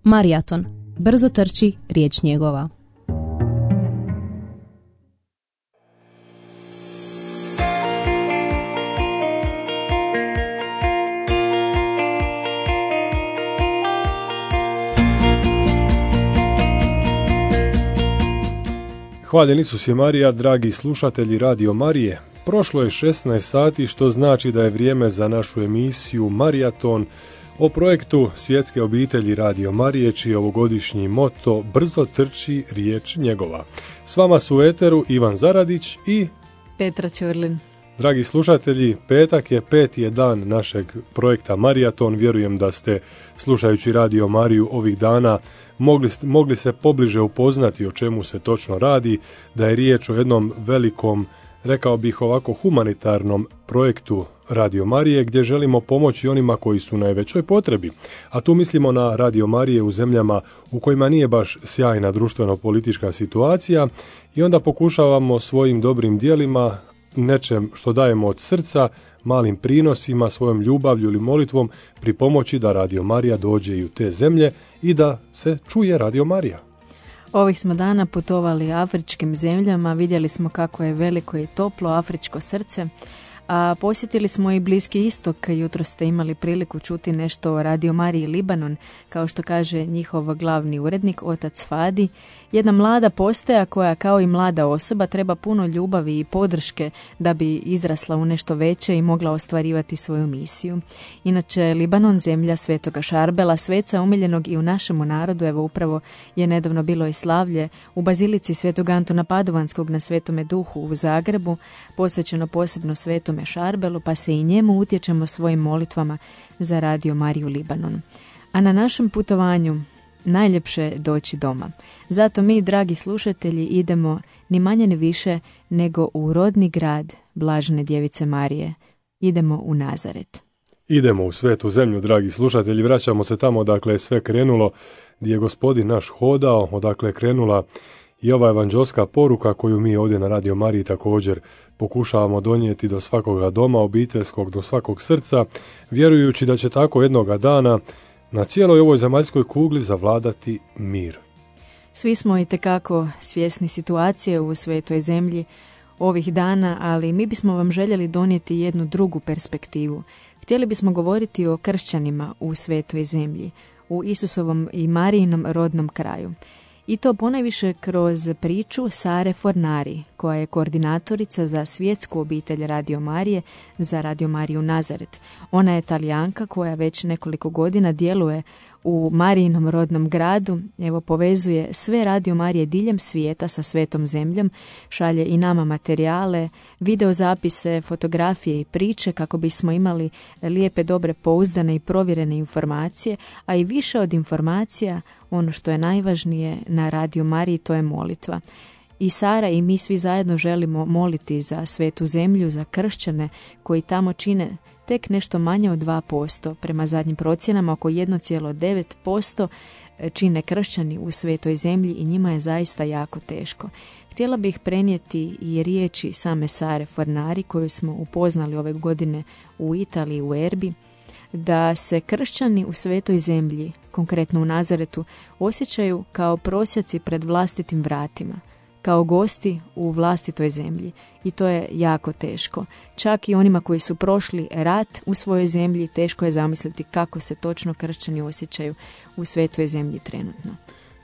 Maraton. Brzo trči, riječ njegova. Hvaljen Isus je Marija, dragi slušatelji Radio Marije. Prošlo je 16 sati, što znači da je vrijeme za našu emisiju Maraton o projektu Svjetske obitelji Radio Marije, čiji je ovogodišnji moto Brzo trči, riječ njegova. S vama su u eteru Ivan Zaradić i Petra Ćurlin. Dragi slušatelji, petak je 5. dan našeg projekta Maraton. Vjerujem da ste, slušajući Radio Mariju ovih dana, mogli se pobliže upoznati o čemu se točno radi, da je riječ o jednom velikom, rekao bih ovako, humanitarnom projektu Radio Marije, gdje želimo pomoći onima koji su u najvećoj potrebi. A tu mislimo na Radio Marije u zemljama u kojima nije baš sjajna društveno-politička situacija i onda pokušavamo svojim dobrim djelima, nečem što dajemo od srca, malim prinosima, svojom ljubavlju ili molitvom pripomoći da Radio Marija dođe i u te zemlje i da se čuje Radio Marija. Ovih smo dana putovali afričkim zemljama, vidjeli smo kako je veliko i toplo afričko srce, a posjetili smo i Bliski istok. Jutro ste imali priliku čuti nešto o Radio Mariji Libanon, kao što kaže njihov glavni urednik, otac Fadi. Jedna mlada postaja koja kao i mlada osoba treba puno ljubavi i podrške da bi izrasla u nešto veće i mogla ostvarivati svoju misiju. Inače, Libanon, zemlja svetoga Šarbela, sveca umiljenog i u našemu narodu, evo upravo je nedavno bilo i slavlje u bazilici svetog Antuna Padovanskog na Svetome Duhu u Zagrebu, posvećeno posebno Svetome Šarbelu, pa se i njemu utječemo svojim molitvama za Radio Mariju Libanon. A na našem putovanju najljepše je doći doma. Zato mi, dragi slušatelji, idemo ni manje ni više nego u rodni grad Blažene Djevice Marije. Idemo u Nazaret. Idemo u svetu zemlju, dragi slušatelji, vraćamo se tamo odakle je sve krenulo, gdje je Gospodin naš hodao, odakle je krenula i ova evanđelska poruka koju mi ovdje na Radio Mariji također pokušavamo donijeti do svakoga doma obiteljskog, do svakog srca, vjerujući da će tako jednoga dana na cijeloj ovoj zemaljskoj kugli zavladati mir. Svi smo itekako svjesni situacije u svetoj zemlji ovih dana, ali mi bismo vam željeli donijeti jednu drugu perspektivu. Htjeli bismo govoriti o kršćanima u svetoj zemlji, u Isusovom i Marijinom rodnom kraju. I to ponajviše kroz priču Sare Fornari, koja je koordinatorica za svjetsku obitelj Radio Marije za Radio Mariju Nazaret. Ona je Talijanka koja već nekoliko godina djeluje u Marijinom rodnom gradu, evo povezuje sve Radio Marije diljem svijeta sa svetom zemljom, šalje i nama materijale, videozapise, fotografije i priče kako bismo imali lijepe, dobre, pouzdane i provjerene informacije, a i više od informacija, ono što je najvažnije na Radio Mariji, to je molitva. I Sara i mi svi zajedno želimo moliti za svetu zemlju, za kršćane koji tamo čine tek nešto manje od 2%, prema zadnjim procjenama oko 1,9% čine kršćani u svetoj zemlji i njima je zaista jako teško. Htjela bih prenijeti i riječi same Sare Fornari koju smo upoznali ove godine u Italiji, u Erbi, da se kršćani u svetoj zemlji, konkretno u Nazaretu, osjećaju kao prosjaci pred vlastitim vratima, kao gosti u vlastitoj zemlji i to je jako teško. Čak i onima koji su prošli rat u svojoj zemlji teško je zamisliti kako se točno kršćani osjećaju u svetoj zemlji trenutno.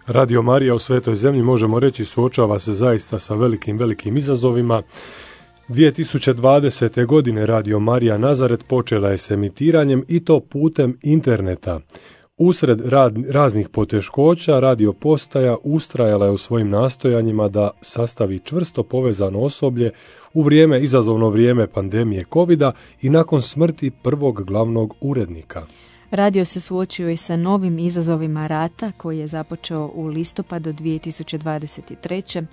Radio Marija u svetoj zemlji, možemo reći, suočava se zaista sa velikim izazovima. 2020. godine Radio Marija Nazaret počela je s emitiranjem i to putem interneta. Usred raznih poteškoća, radio postaja ustrajala je u svojim nastojanjima da sastavi čvrsto povezano osoblje u izazovno vrijeme pandemije covida i nakon smrti prvog glavnog urednika. Radio se suočio i sa novim izazovima rata koji je započeo u listopadu 2023.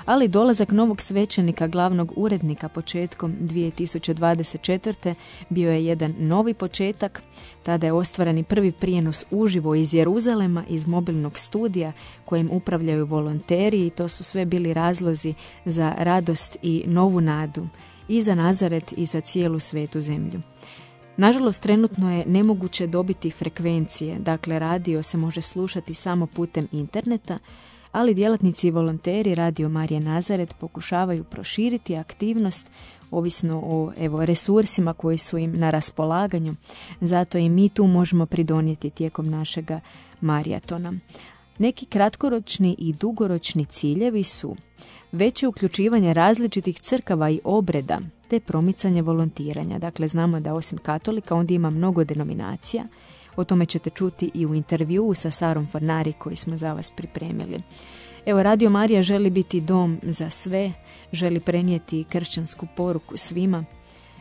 ali dolazak novog svećenika glavnog urednika početkom 2024. bio je jedan novi početak. Tada je ostvaren prvi prijenos uživo iz Jeruzalema, iz mobilnog studija kojim upravljaju volonteri i to su sve bili razlozi za radost i novu nadu i za Nazaret i za cijelu svetu zemlju. Nažalost, trenutno je nemoguće dobiti frekvencije, dakle radio se može slušati samo putem interneta, ali djelatnici i volonteri Radio Marije Nazaret pokušavaju proširiti aktivnost ovisno o resursima koji su im na raspolaganju. Zato i mi tu možemo pridonijeti tijekom našega marijatona. Neki kratkoročni i dugoročni ciljevi su veće uključivanje različitih crkava i obreda te promicanje volontiranja. Dakle, znamo da osim katolika ondje ima mnogo denominacija. O tome ćete čuti i u intervjuu sa Sarom Fornari koji smo za vas pripremili. Evo, Radio Marija želi biti dom za sve, želi prenijeti kršćansku poruku svima.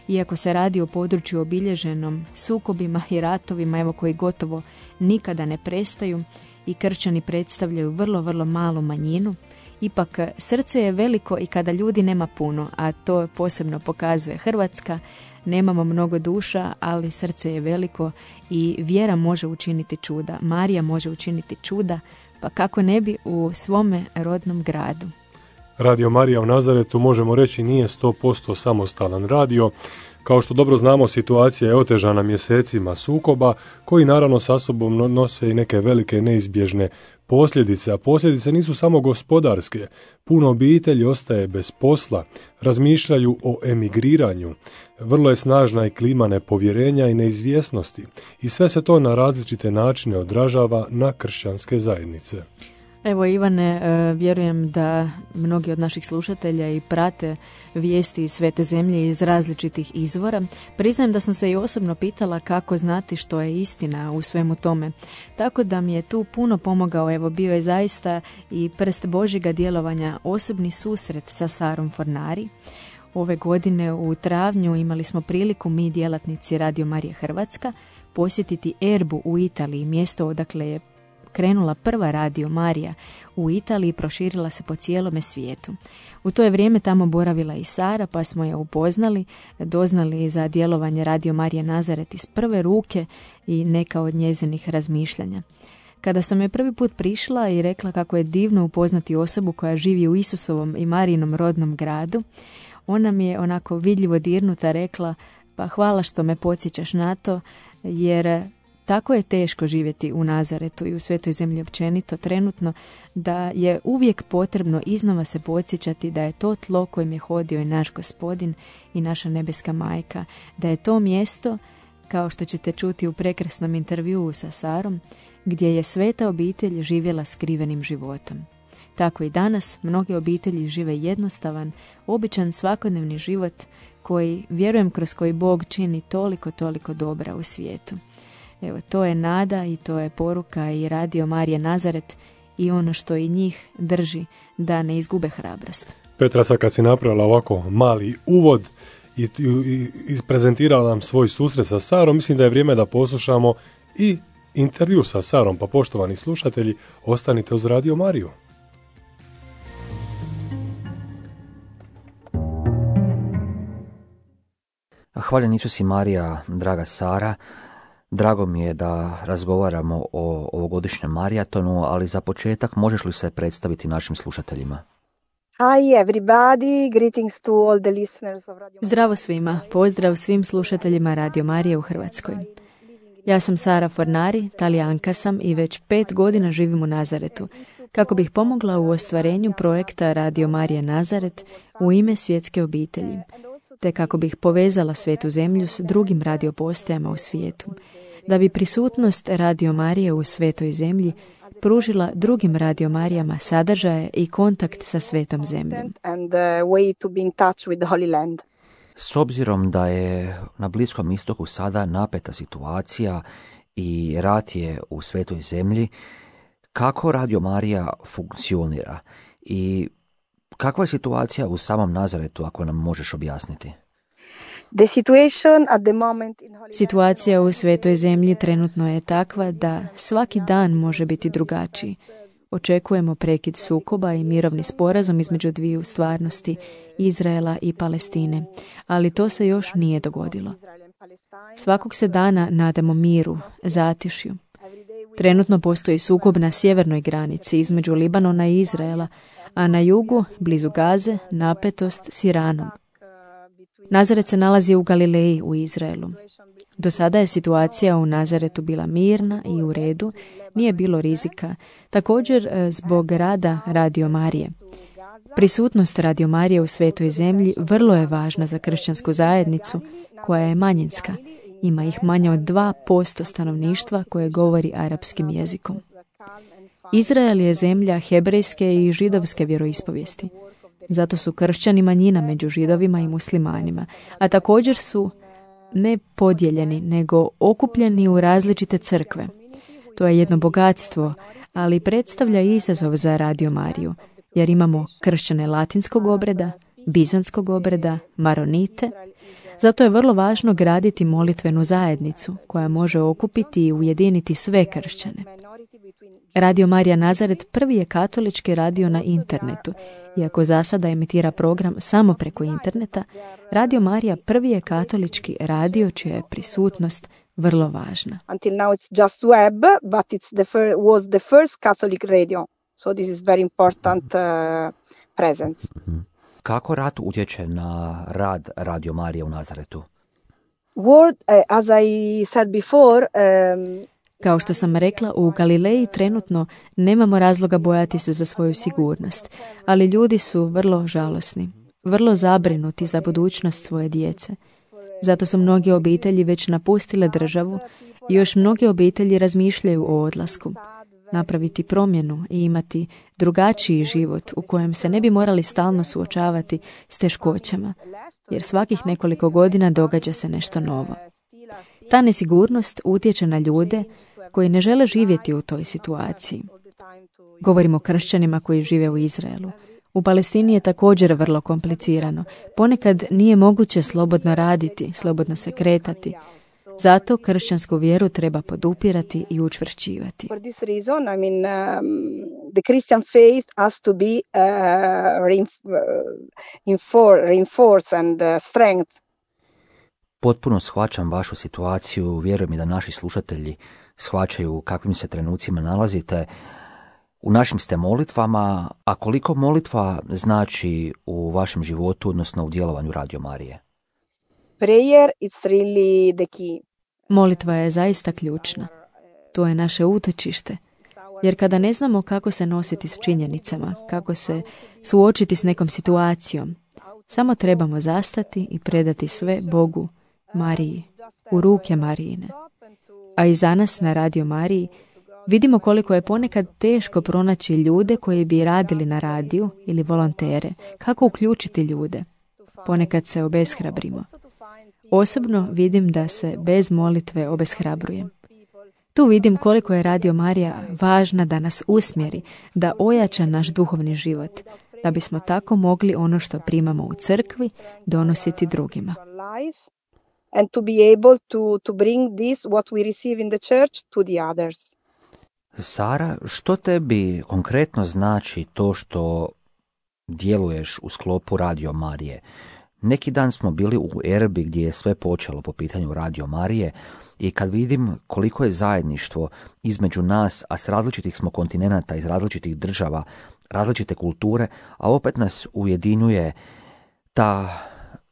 Iako se radi o području obilježenom sukobima i ratovima, koji gotovo nikada ne prestaju i kršćani predstavljaju vrlo, vrlo malu manjinu, ipak srce je veliko i kada ljudi nema puno, a to posebno pokazuje Hrvatska. Nemamo mnogo duša, ali srce je veliko i vjera može učiniti čuda. Marija može učiniti čuda, pa kako ne bi u svome rodnom gradu. Radio Marija u Nazaretu, možemo reći, nije 100% samostalan radio. Kao što dobro znamo, situacija je otežana mjesecima sukoba, koji naravno sa sobom nose i neke velike neizbježne posljedice, a posljedice nisu samo gospodarske. Puno obitelji ostaje bez posla, razmišljaju o emigriranju, vrlo je snažna i klima nepovjerenja i neizvjesnosti i sve se to na različite načine odražava na kršćanske zajednice. Evo, Ivane, vjerujem da mnogi od naših slušatelja i prate vijesti iz Svete zemlje iz različitih izvora. Priznajem da sam se i osobno pitala kako znati što je istina u svemu tome. Tako da mi je tu puno pomogao, bio je zaista i prst Božjega djelovanja osobni susret sa Sarom Fornari. Ove godine u travnju imali smo priliku mi, djelatnici Radio Marije Hrvatska, posjetiti Erbu u Italiji, mjesto odakle je krenula prva Radio Marija u Italiji i proširila se po cijelome svijetu. U to je vrijeme tamo boravila i Sara, pa smo je upoznali, doznali za djelovanje Radio Marije Nazaret iz prve ruke i neka od njezinih razmišljanja. Kada sam je prvi put prišla i rekla kako je divno upoznati osobu koja živi u Isusovom i Marijinom rodnom gradu, ona mi je onako vidljivo dirnuta rekla: pa hvala što me podsjećaš na to, jer tako je teško živjeti u Nazaretu i u Svetoj zemlji općenito trenutno, da je uvijek potrebno iznova se podsjećati da je to tlo kojim je hodio i naš Gospodin i naša nebeska majka, da je to mjesto, kao što ćete čuti u prekrasnom intervjuu sa Sarom, gdje je sveta obitelj živjela skrivenim životom. Tako i danas mnoge obitelji žive jednostavan, običan svakodnevni život koji, vjerujem, kroz koji Bog čini toliko dobra u svijetu. Evo, to je nada i to je poruka i Radio Marije Nazaret i ono što i njih drži da ne izgube hrabrost. Petra, sad kad si napravila ovako mali uvod i prezentirala nam svoj susret sa Sarom, mislim da je vrijeme da poslušamo i intervju sa Sarom, pa poštovani slušatelji, ostanite uz Radio Mariju. Hvaljen Isus i Marija, draga Sara. Drago mi je da razgovaramo o ovogodišnjem marijatonu, ali za početak možeš li se predstaviti našim slušateljima? Hi everybody, greetings to all the listeners of Radio. Zdravo svima, pozdrav svim slušateljima Radio Marije u Hrvatskoj. Ja sam Sara Fornari, Talijanka sam i već 5 godina živim u Nazaretu, kako bih pomogla u ostvarenju projekta Radio Marije Nazaret u ime svjetske obitelji, te kako bih povezala Svetu zemlju s drugim radiopostajama u svijetu, da bi prisutnost Radio Marije u Svetoj zemlji pružila drugim Radio Marijama sadržaje i kontakt sa Svetom zemljom. S obzirom da je na Bliskom istoku sada napeta situacija i rat je u Svetoj zemlji, kako Radio Marija funkcionira i kakva je situacija u samom Nazaretu, ako nam možeš objasniti? Situacija u Svetoj zemlji trenutno je takva da svaki dan može biti drugačiji. Očekujemo prekid sukoba i mirovni sporazum između dviju stvarnosti, Izraela i Palestine, ali to se još nije dogodilo. Svakog se dana nadamo miru, zatišju. Trenutno postoji sukob na sjevernoj granici između Libanona i Izraela, a na jugu, blizu Gaze, napetost s Iranom. Nazaret se nalazi u Galileji u Izraelu. Do sada je situacija u Nazaretu bila mirna i u redu, nije bilo rizika. Također zbog rada Radio Marije. Prisutnost Radio Marije u Svetoj zemlji vrlo je važna za kršćansku zajednicu koja je manjinska. Ima ih manje od 2% stanovništva koje govori arapskim jezikom. Izrael je zemlja hebrejske i židovske vjeroispovijesti. Zato su kršćani manjina među židovima i muslimanima, a također su ne podijeljeni, nego okupljeni u različite crkve. To je jedno bogatstvo, ali predstavlja izazov za Radio Mariju, jer imamo kršćane latinskog obreda, bizantskog obreda, maronite. Zato je vrlo važno graditi molitvenu zajednicu koja može okupiti i ujediniti sve kršćane. Radio Marija Nazaret prvi je katolički radio na internetu. Iako za sada emitira program samo preko interneta, Radio Marija prvi je katolički radio čija je prisutnost vrlo važna. Until now it's just web, but was the first Catholic radio. So this is very important presence. Kako rat utječe na rad Radio Marije u Nazaretu? As I said before, Kao što sam rekla, u Galileji trenutno nemamo razloga bojati se za svoju sigurnost, ali ljudi su vrlo žalosni, vrlo zabrinuti za budućnost svoje djece. Zato su mnoge obitelji već napustile državu i još mnoge obitelji razmišljaju o odlasku. Napraviti promjenu i imati drugačiji život u kojem se ne bi morali stalno suočavati s teškoćama, jer svakih nekoliko godina događa se nešto novo. Ta nesigurnost utječe na ljude koji ne žele živjeti u toj situaciji. Govorimo o kršćanima koji žive u Izraelu. U Palestini je također vrlo komplicirano. Ponekad nije moguće slobodno raditi, slobodno se kretati. Zato kršćansku vjeru treba podupirati i učvršćivati. For this reason, the Christian faith has to be reinforced and strength. Potpuno shvaćam vašu situaciju, vjerujem i da naši slušatelji shvaćaju u kakvim se trenucima nalazite. U našim ste molitvama, a koliko molitva znači u vašem životu, odnosno u djelovanju Radio Marije? Prayer is really the key. Molitva je zaista ključna. To je naše utočište. Jer kada ne znamo kako se nositi s činjenicama, kako se suočiti s nekom situacijom, samo trebamo zastati i predati sve Bogu, Mariji, u ruke Marijine. A i za nas na Radio Mariji vidimo koliko je ponekad teško pronaći ljude koji bi radili na radiju ili volontere, kako uključiti ljude. Ponekad se obeshrabrimo. Osobno vidim da se bez molitve obeshrabrujem. Tu vidim koliko je Radio Marija važna da nas usmjeri, da ojača naš duhovni život, da bismo tako mogli ono što primamo u crkvi donositi drugima. And to be able to bring this what we receive in the church to the others. Sara, što tebi konkretno znači to što djeluješ u sklopu Radio Marije? Neki dan smo bili u Erbi gdje je sve počelo po pitanju Radio Marije i kad vidim koliko je zajedništvo između nas, a s različitih smo kontinenata, iz različitih država, različite kulture, a opet nas ujedinjuje ta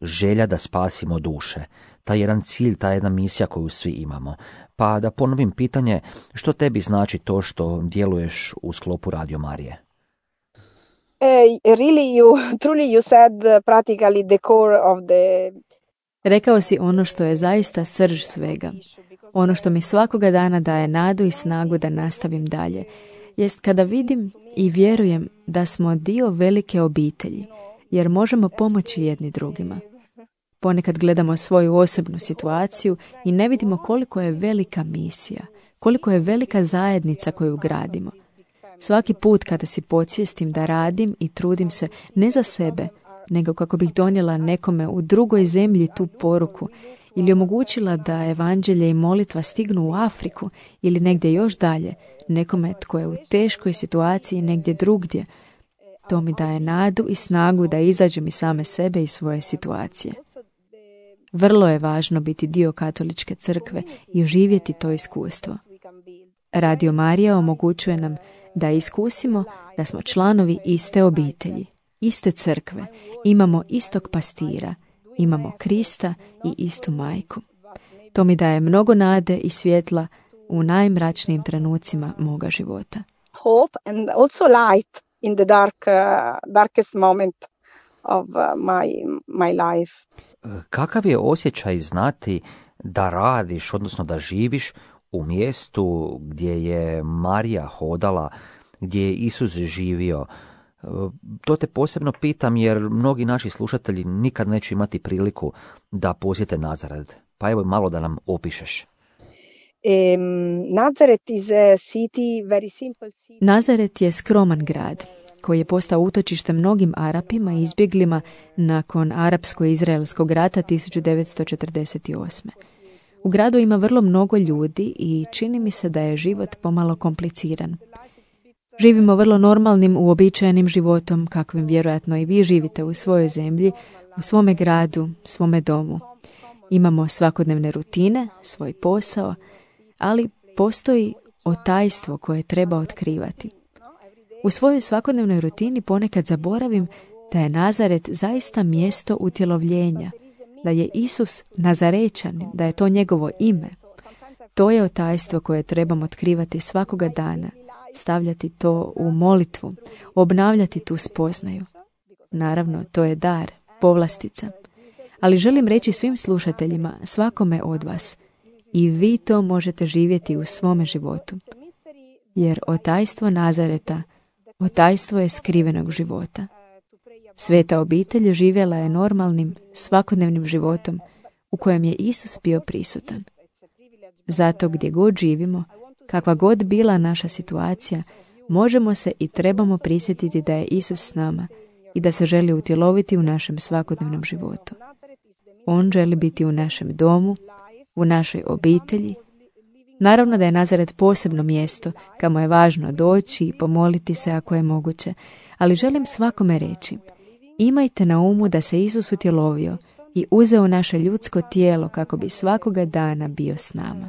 želja da spasimo duše, taj jedan cilj, ta jedna misija koju svi imamo. Pa da ponovim pitanje, što tebi znači to što djeluješ u sklopu Radio Marije? You said practically the core of the... Rekao si ono što je zaista srž svega. Ono što mi svakoga dana daje nadu i snagu da nastavim dalje, jest kada vidim i vjerujem da smo dio velike obitelji, jer možemo pomoći jedni drugima. Ponekad gledamo svoju osobnu situaciju i ne vidimo koliko je velika misija, koliko je velika zajednica koju gradimo. Svaki put kada si podsvjestim da radim i trudim se ne za sebe, nego kako bih donijela nekome u drugoj zemlji tu poruku ili omogućila da evanđelje i molitva stignu u Afriku ili negdje još dalje, nekome tko je u teškoj situaciji negdje drugdje, to mi daje nadu i snagu da izađem iz same sebe i svoje situacije. Vrlo je važno biti dio katoličke crkve i oživjeti to iskustvo. Radio Marija omogućuje nam da iskusimo da smo članovi iste obitelji, iste crkve, imamo istog pastira, imamo Krista i istu majku. To mi daje mnogo nade i svjetla u najmračnijim trenucima moga života. Hope and also light in the darkest moment of my life. Kakav je osjećaj znati da radiš, odnosno da živiš u mjestu gdje je Marija hodala, gdje je Isus živio? To te posebno pitam jer mnogi naši slušatelji nikad neće imati priliku da posjete Nazaret. Pa evo malo da nam opišeš. Nazaret je skroman grad koji je postao utočište mnogim Arapima i izbjeglima nakon Arapsko-izraelskog rata 1948. U gradu ima vrlo mnogo ljudi i čini mi se da je život pomalo kompliciran. Živimo vrlo normalnim, uobičajenim životom, kakvim vjerojatno i vi živite u svojoj zemlji, u svome gradu, svome domu. Imamo svakodnevne rutine, svoj posao, ali postoji otajstvo koje treba otkrivati. U svojoj svakodnevnoj rutini ponekad zaboravim da je Nazaret zaista mjesto utjelovljenja, da je Isus Nazarečanin, da je to njegovo ime. To je otajstvo koje trebamo otkrivati svakoga dana, stavljati to u molitvu, obnavljati tu spoznaju. Naravno, to je dar, povlastica. Ali želim reći svim slušateljima, svakome od vas, i vi to možete živjeti u svome životu. Jer otajstvo Nazareta, otajstvo je skrivenog života. Sveta obitelj živjela je normalnim, svakodnevnim životom u kojem je Isus bio prisutan. Zato gdje god živimo, kakva god bila naša situacija, možemo se i trebamo prisjetiti da je Isus s nama i da se želi utjeloviti u našem svakodnevnom životu. On želi biti u našem domu, u našoj obitelji. Naravno da je Nazaret posebno mjesto, kamo je važno doći i pomoliti se ako je moguće, ali želim svakome reći, imajte na umu da se Isus utjelovio i uzeo naše ljudsko tijelo kako bi svakoga dana bio s nama.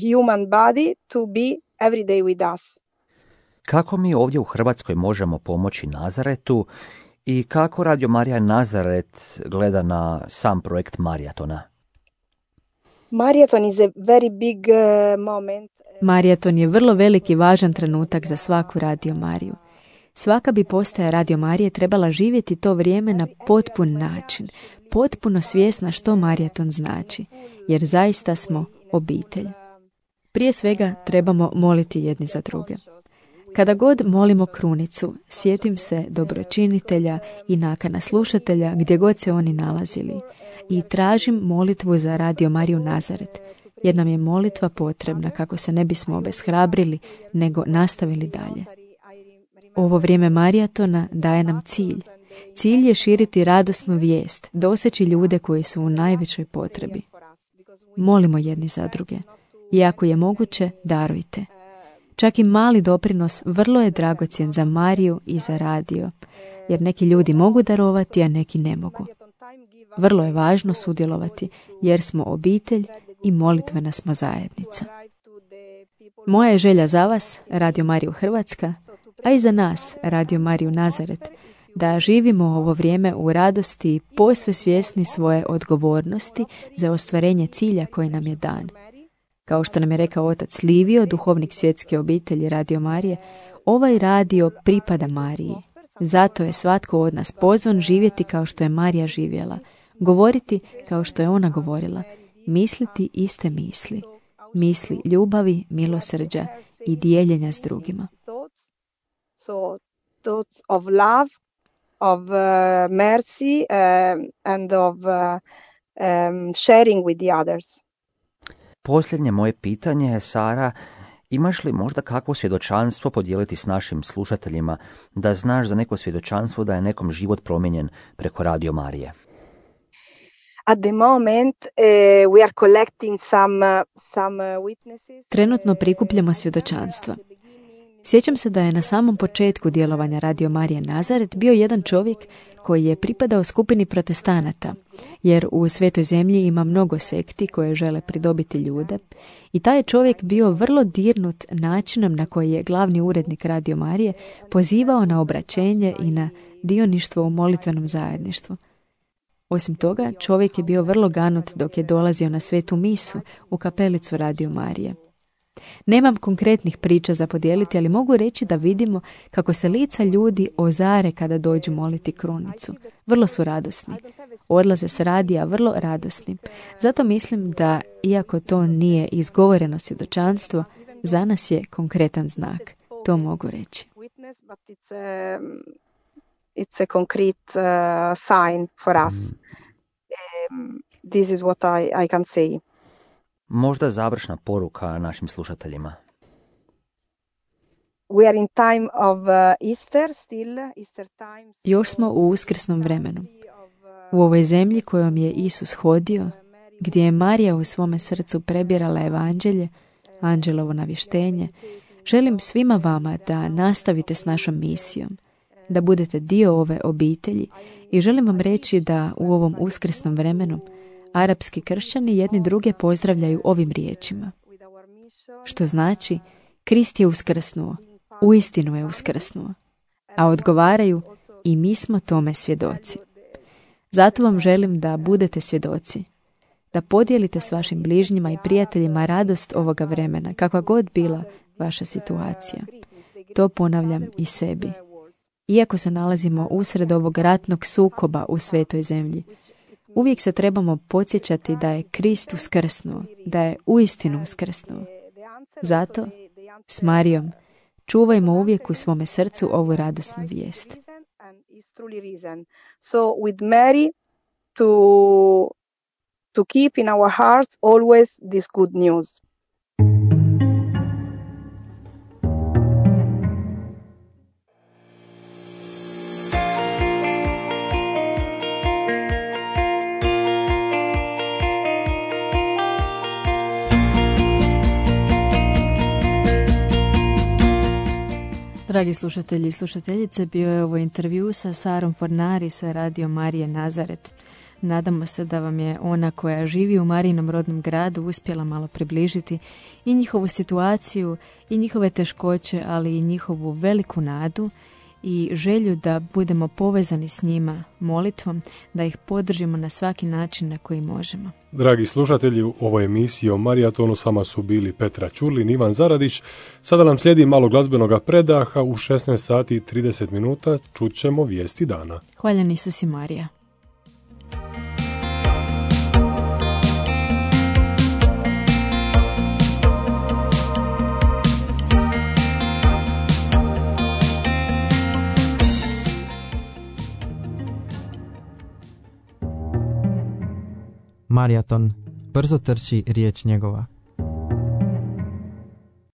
Human body to be every day with us. Kako mi ovdje u Hrvatskoj možemo pomoći Nazaretu i kako Radio Marija Nazaret gleda na sam projekt Mariatona? Mariaton is a very big moment. Mariaton je vrlo veliki važan trenutak za svaku Radio Mariju. Svaka bi postaja Radio Marije trebala živjeti to vrijeme na potpun način, potpuno svjesna što Mariaton znači, jer zaista smo obitelj. Prije svega trebamo moliti jedni za druge. Kada god molimo krunicu, sjetim se dobročinitelja i nakana slušatelja gdje god se oni nalazili i tražim molitvu za Radio Mariju Nazaret, jer nam je molitva potrebna kako se ne bismo obeshrabrili, nego nastavili dalje. Ovo vrijeme Mariatona daje nam cilj. Cilj je širiti radosnu vijest, doseći ljude koji su u najvećoj potrebi. Molimo jedni za druge. I ako je moguće, darujte. Čak i mali doprinos vrlo je dragocjen za Mariju i za radio, jer neki ljudi mogu darovati, a neki ne mogu. Vrlo je važno sudjelovati, jer smo obitelj i molitvena smo zajednica. Moja je želja za vas, Radio Mariju Hrvatska, a i za nas, Radio Mariju Nazaret, da živimo ovo vrijeme u radosti i posve svjesni svoje odgovornosti za ostvarenje cilja koji nam je dan. Kao što nam je rekao otac Livio, duhovnik svjetske obitelji Radio Marije, ovaj radio pripada Mariji. Zato je svatko od nas pozvan živjeti kao što je Marija živjela, govoriti kao što je ona govorila, misliti iste misli, misli ljubavi, milosrđa i dijeljenja s drugima. So thoughts of love, of mercy and of sharing with the others. Posljednje moje pitanje je, Sara, imaš li možda kakvo svjedočanstvo podijeliti s našim slušateljima, da znaš za neko svjedočanstvo da je nekom život promijenjen preko Radio Marije? At the moment we are collecting some witnesses. Trenutno prikupljamo svjedočanstva. Sjećam se da je na samom početku djelovanja Radio Marije Nazaret bio jedan čovjek koji je pripadao skupini protestanata, jer u Svetoj zemlji ima mnogo sekti koje žele pridobiti ljude, i taj je čovjek bio vrlo dirnut načinom na koji je glavni urednik Radio Marije pozivao na obraćenje i na dioništvo u molitvenom zajedništvu. Osim toga, čovjek je bio vrlo ganut dok je dolazio na svetu misu u kapelicu Radio Marije. Nemam konkretnih priča za podijeliti, ali mogu reći da vidimo kako se lica ljudi ozare kada dođu moliti krunicu. Vrlo su radosni. Odlaze s radija vrlo radosni. Zato mislim da, iako to nije izgovoreno svjedočanstvo, za nas je konkretan znak. To mogu reći. It's a concrete sign for us. This is what I can say. Možda završna poruka našim slušateljima. We are in time of Easter still, Easter time. Još smo u uskrsnom vremenu. U ovoj zemlji kojom je Isus hodio, gdje je Marija u svome srcu prebirala evanđelje, anđelovo navještenje, želim svima vama da nastavite s našom misijom, da budete dio ove obitelji i želim vam reći da u ovom uskrsnom vremenu arapski kršćani jedni druge pozdravljaju ovim riječima. Što znači, Krist je uskrsnuo, uistinu je uskrsnuo. A odgovaraju, i mi smo tome svjedoci. Zato vam želim da budete svjedoci, da podijelite s vašim bližnjima i prijateljima radost ovoga vremena, kakva god bila vaša situacija. To ponavljam i sebi. Iako se nalazimo usred ovog ratnog sukoba u svetoj zemlji, uvijek se trebamo podsjećati da je Krist uskrsnuo, da je uistinu uskrsnuo. Zato, s Marijom, čuvajmo uvijek u svome srcu ovu radosnu vijest. So with Mary to keep in our hearts always this good news. Dragi slušatelji i slušateljice, bio je ovo intervju sa Sarom Fornari sa Radio Marije Nazaret. Nadamo se da vam je ona koja živi u Marijinom rodnom gradu uspjela malo približiti i njihovu situaciju i njihove teškoće, ali i njihovu veliku nadu i želju da budemo povezani s njima molitvom, da ih podržimo na svaki način na koji možemo. Dragi slušatelji, u ovoj emisiji o Marijatonu s vama su bili Petra Ćurlin, Ivan Zaradić. Sada nam slijedi malo glazbenog predaha. U 16 sati i 30 minuta čut ćemo vijesti dana. Hvaljen Isus i Marija. Marijaton, brzo trči riječ njegova.